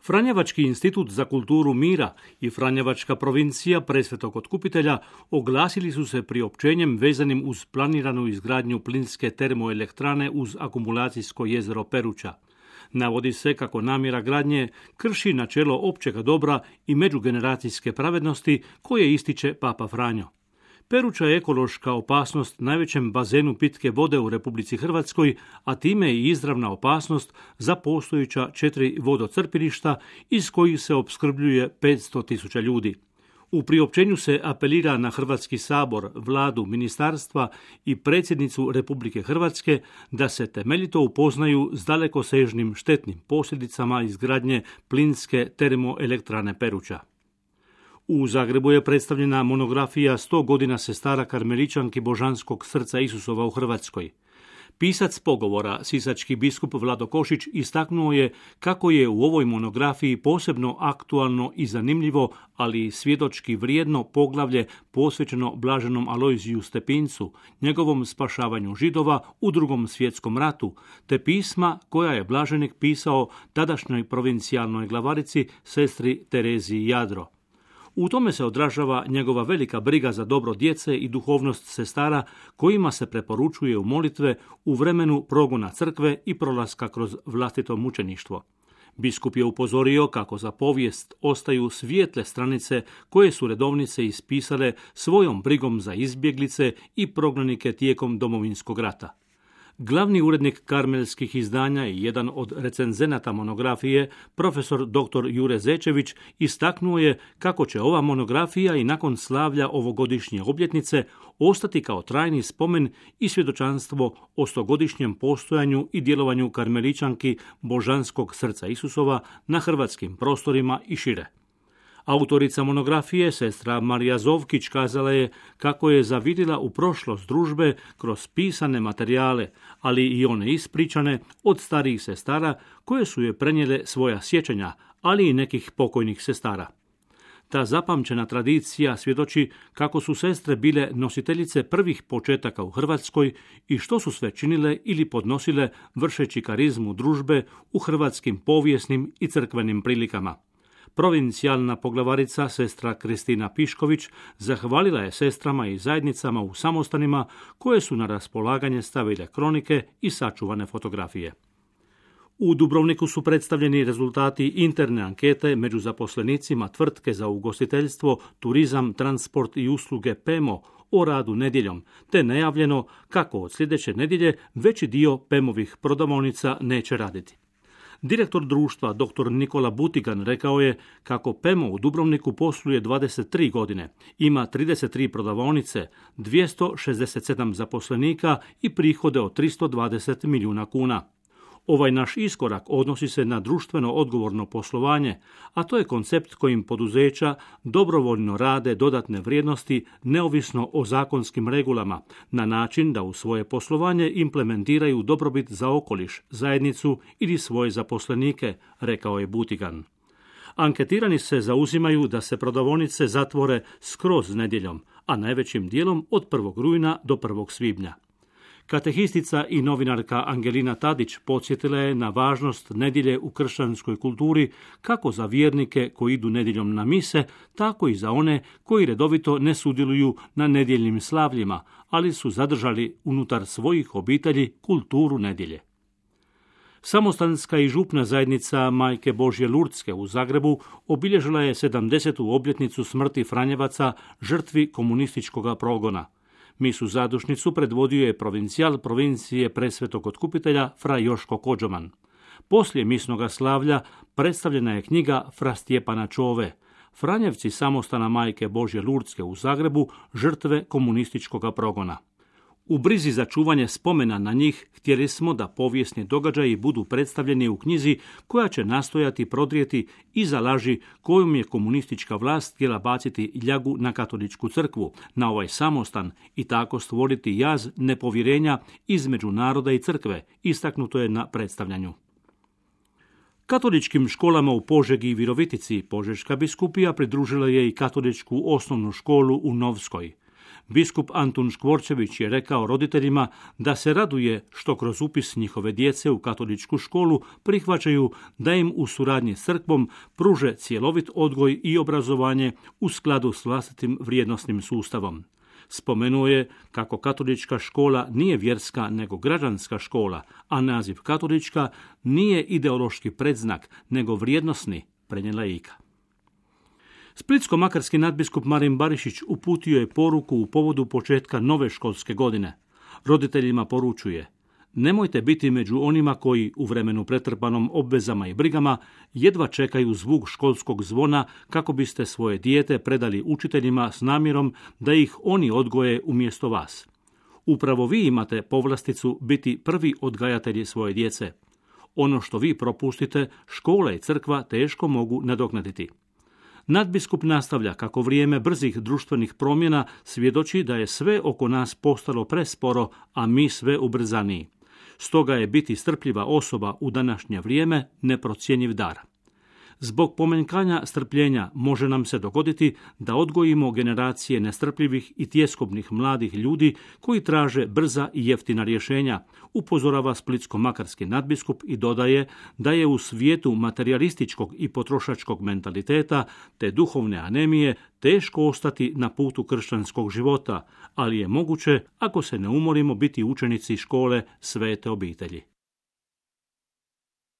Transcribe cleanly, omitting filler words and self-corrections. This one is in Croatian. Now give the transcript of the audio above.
Franjevački institut za kulturu mira i Franjevačka provincija Presvetog Otkupitelja oglasili su se priopćenjem vezanim uz planiranu izgradnju plinske termoelektrane uz akumulacijsko jezero Peruča. Navodi se kako namjera gradnje krši načelo općega dobra i međugeneracijske pravednosti koje ističe Papa Franjo. Peruča je ekološka opasnost najvećem bazenu pitke vode u Republici Hrvatskoj, a time i izravna opasnost za postojeća 4 vodocrpilišta iz kojih se opskrbljuje 500.000 ljudi. U priopćenju se apelira na Hrvatski sabor, vladu, ministarstva i predsjednicu Republike Hrvatske da se temeljito upoznaju s dalekosežnim štetnim posljedicama izgradnje plinske termoelektrane Peruča. U Zagrebu je predstavljena monografija 100 godina sestara karmeličanki Božanskog srca Isusova u Hrvatskoj. Pisac pogovora, sisački biskup Vlado Košić, istaknuo je kako je u ovoj monografiji posebno aktualno i zanimljivo, ali i svjedočki vrijedno poglavlje posvećeno blaženom Alojziju Stepincu, njegovom spašavanju Židova u Drugom svjetskom ratu, te pisma koja je blaženik pisao tadašnjoj provincijalnoj glavarici sestri Tereziji Jadro. U tome se odražava njegova velika briga za dobro djece i duhovnost sestara kojima se preporučuje u molitve u vremenu progona crkve i prolaska kroz vlastito mučeništvo. Biskup je upozorio kako za povijest ostaju svijetle stranice koje su redovnice ispisale svojom brigom za izbjeglice i prognanike tijekom Domovinskog rata. Glavni urednik karmelskih izdanja i jedan od recenzenata monografije, profesor dr. Jure Zečević, istaknuo je kako će ova monografija i nakon slavlja ovogodišnje obljetnice ostati kao trajni spomen i svjedočanstvo o 100-godišnjem postojanju i djelovanju karmeličanki Božanskog srca Isusova na hrvatskim prostorima i šire. Autorica monografije, sestra Marija Zovkić, kazala je kako je zavidjela u prošlost družbe kroz pisane materijale, ali i one ispričane od starijih sestara koje su je prenijele svoja sjećanja, ali i nekih pokojnih sestara. Ta zapamćena tradicija svjedoči kako su sestre bile nositeljice prvih početaka u Hrvatskoj i što su sve činile ili podnosile vršeći karizmu družbe u hrvatskim povijesnim i crkvenim prilikama. Provincijalna poglavarica, sestra Kristina Pišković, zahvalila je sestrama i zajednicama u samostanima koje su na raspolaganje stavile kronike i sačuvane fotografije. U Dubrovniku su predstavljeni rezultati interne ankete među zaposlenicima tvrtke za ugostiteljstvo, turizam, transport i usluge PEMO o radu nedjeljom, te najavljeno kako od sljedeće nedjelje veći dio PEMovih prodavaonica neće raditi. Direktor društva dr. Nikola Butigan rekao je kako PEMO u Dubrovniku posluje 23 godine, ima 33 prodavaonice, 267 zaposlenika i prihode od 320 milijuna kuna. Ovaj naš iskorak odnosi se na društveno odgovorno poslovanje, a to je koncept kojim poduzeća dobrovoljno rade dodatne vrijednosti neovisno o zakonskim regulama, na način da u svoje poslovanje implementiraju dobrobit za okoliš, zajednicu ili svoje zaposlenike, rekao je Butigan. Anketirani se zauzimaju da se prodavaonice zatvore skroz nedjeljom, a najvećim dijelom od 1. rujna do 1. svibnja. Katehistica i novinarka Angelina Tadić podsjetila je na važnost nedjelje u kršćanskoj kulturi kako za vjernike koji idu nedjeljom na mise, tako i za one koji redovito ne sudjeluju na nedjeljnim slavljima, ali su zadržali unutar svojih obitelji kulturu nedjelje. Samostanska i župna zajednica Majke Božje Lurdske u Zagrebu obilježila je 70. obljetnicu smrti Franjevaca, žrtvi komunističkog progona. Misu zadušnicu predvodio je provincijal provincije Presvetog Otkupitelja fra Joško Kođoman. Poslije misnoga slavlja predstavljena je knjiga fra Stjepana Čove, Franjevci samostana Majke Božje Lurdske u Zagrebu, žrtve komunističkog progona. U brizi za čuvanje spomena na njih htjeli smo da povijesni događaji budu predstavljeni u knjizi koja će nastojati prodrijeti iza laži kojom je komunistička vlast htjela baciti ljagu na katoličku crkvu, na ovaj samostan i tako stvoriti jaz nepovjerenja između naroda i crkve, istaknuto je na predstavljanju. Katoličkim školama u Požegi i Virovitici Požeška biskupija pridružila je i katoličku osnovnu školu u Novskoj. biskup Antun Škvorčević je rekao roditeljima da se raduje što kroz upis njihove djece u katoličku školu prihvaćaju da im u suradnji s crkvom pruže cjelovit odgoj i obrazovanje u skladu s vlastitim vrijednosnim sustavom. Spomenuo je kako katolička škola nije vjerska nego građanska škola, a naziv katolička nije ideološki predznak nego vrijednosni, prenijela Ika. Splitsko-makarski nadbiskup Marin Barišić uputio je poruku u povodu početka nove školske godine. Roditeljima poručuje: nemojte biti među onima koji u vremenu pretrpanom obvezama i brigama jedva čekaju zvuk školskog zvona kako biste svoje dijete predali učiteljima s namjerom da ih oni odgoje umjesto vas. Upravo vi imate povlasticu biti prvi odgajatelji svoje djece. Ono što vi propustite, škola i crkva teško mogu nadoknaditi. Nadbiskup nastavlja kako vrijeme brzih društvenih promjena svjedoči da je sve oko nas postalo presporo, a mi sve ubrzaniji. Stoga je biti strpljiva osoba u današnje vrijeme neprocjenjiv dar. Zbog pomanjkanja strpljenja može nam se dogoditi da odgojimo generacije nestrpljivih i tjeskobnih mladih ljudi koji traže brza i jeftina rješenja, upozorava splitsko-makarski nadbiskup i dodaje da je u svijetu materijalističkog i potrošačkog mentaliteta te duhovne anemije teško ostati na putu kršćanskog života, ali je moguće, ako se ne umorimo, biti učenici škole Svete obitelji.